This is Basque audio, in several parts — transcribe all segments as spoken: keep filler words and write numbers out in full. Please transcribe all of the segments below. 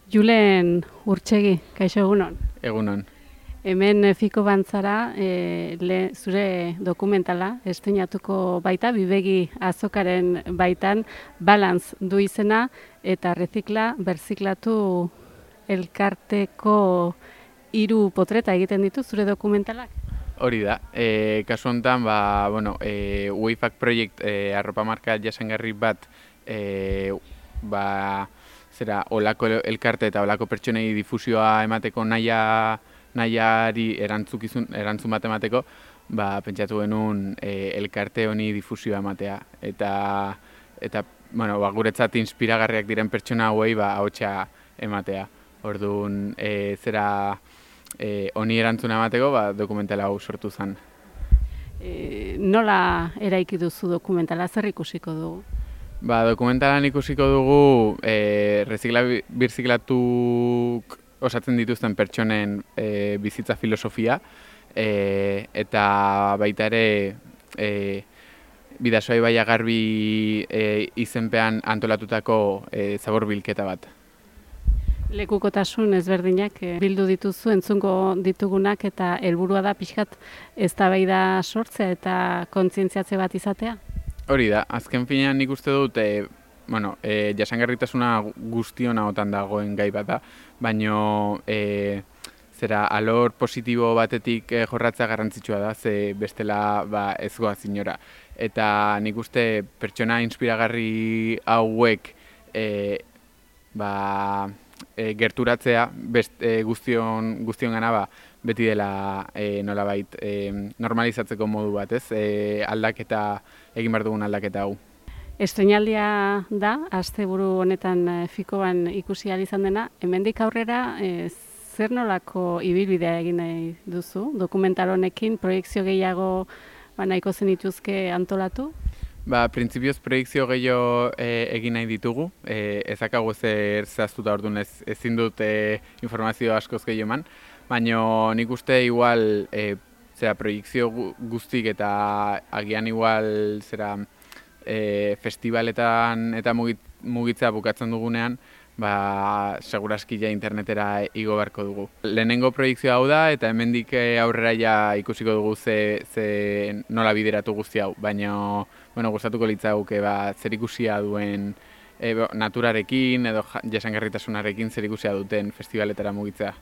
Julen Urtsegi, kaixo egunon. Egunon. Hemen Fiko Bantzara e, le, zure dokumentala estreinatuko baita, Bibegi azokaren baitan, Balantz du izena eta Rezikla berziklatu elkarteko hiru potreta egiten ditu zure dokumentalak? Hori da, e, kasu honetan, ba, bueno, e, Wayfac Project e, arropa marka jasangarri bat e, ba, zera, olako elkarte eta olako pertsonei difusioa emateko naia, nahiari erantzukizun, erantzun bat emateko, ba, pentsatu genuen e, elkarte honi difusioa ematea. Eta, eta bueno, ba, guretzat inspiragarriak diren pertsona hauei ba, ahotsa ematea. Orduan, e, zera e, honi erantzuna emateko ba, dokumentala hau sortu zen. E, nola eraiki duzu dokumentala, zer ikusiko dugu? Ba, dokumentalan ikusiko dugu e, rezikla birziklatuk osatzen dituzten pertsonen e, bizitza filosofia e, eta baita ere e, Bidasoa Ibaia Garbi e, izenpean antolatutako e, zabor bilketa bat. Lekukotasun ezberdinak bildu dituzu entzungo ditugunak eta helburua da pixkat eztabaida sortzea eta kontzientziatze bat izatea? Hori da, azken finean nik uste dut e, bueno, e, jasangarritasuna guztiona otan dagoen gai bat da, baina e, zera alor positibo batetik e, jorratzea garrantzitsua da, ze bestela ba, ez goaz inora. Eta nik uste pertsona inspiragarri hauek e, ba, e, gerturatzea best, e, guztion, guztion gana ba, beti dela e, nolabait e, normalizatzeko modu bat, ez? E, aldaketa, egin behar dugun aldaketa hau. Estreinaldia da, asteburu honetan Fikoan ikusi ahal izan dena, hemendik aurrera e, zer nolako ibilbidea egin nahi duzu? Dokumental honekin proiekzio gehiago ba, nahiko zenituzke antolatu? Ba, printzipioz proiekzio gehiago e, egin nahi ditugu, e, ezakago zer zehaztuta orduan ez, ezin dut e, informazio askoz gehiago eman, baina nik uste igual e, zera proiekzio guztik eta agian igual zera e, festivaletan eta mugitzea bukatzen dugunean, ba, seguraski ja internetera igo beharko dugu. Lehenengo proiektzioa hau da eta hemendik aurrera ja ikusiko dugu ze, ze nola bideratu guzti hau, baina bueno, gustatuko litzaguke ba, zer ikusia duen e, naturarekin edo jasangarritasunarekin zer ikusia duten festivaletara mugitzea.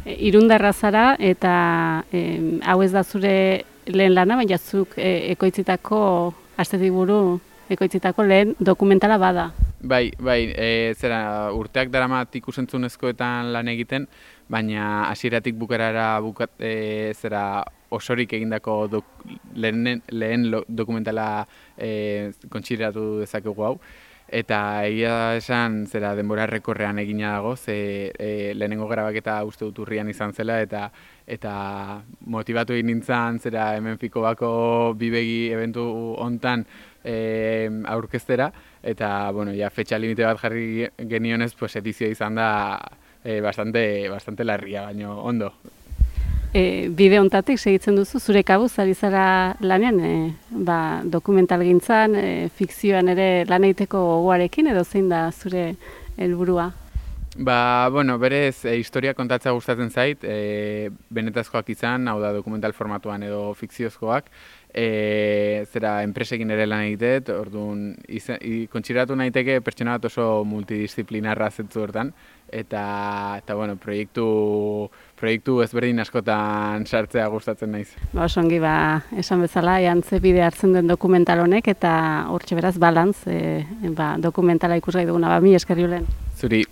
E, Irundarra zara eta e, hau ez da zure lehen lana, baina zuk e, ekoitzitako, astetik buru ekoitzitako lehen dokumentala bada. Bai, bai, e, zera urteak daramat ikusentzunezkoetan lan egiten, baina hasieratik bukarara bukat, e, zera osorik egindako dok, lehen, lehen dokumentala e, kontsideratu dezakegu hau. Eta egia esan zera denbora errekorrean egina dago, ze e, lehenengo grabaketa uste dut urrian izan zela eta eta motibatu egin nintzen zera hemen Fikobako Bibegi eventu hontan e, aurkeztera eta bueno, ja fetxa limite bat jarri genionez, pues edizioa izan da e, bastante, bastante larria, baina ondo. E, bide hontatik segitzen duzu, zure kabuz ari zara lanean, e, ba, dokumental gintzan, e, fikzioan ere lan egiteko gogoarekin edo zein da zure helburua? Ba, bueno, berez, e, historia kontatzea gustatzen zait, e, benetazkoak izan, hau da dokumental formatuan edo fikziozkoak, e, zera enpresekin ere lan egitet, orduan, kontsideratu nahiteke pertsona bat oso multidisciplinarra zetzu hortan, eta, eta bueno, proiektu, proiektu ezberdin askotan sartzea gustatzen naiz. Ba, oso ongi, ba, esan bezala, ean ze bide hartzen duen dokumental honek, eta hortxe beraz, Balantz, e, ba, dokumentala ikusgai duguna, ba, mi esker Julen. Zuri.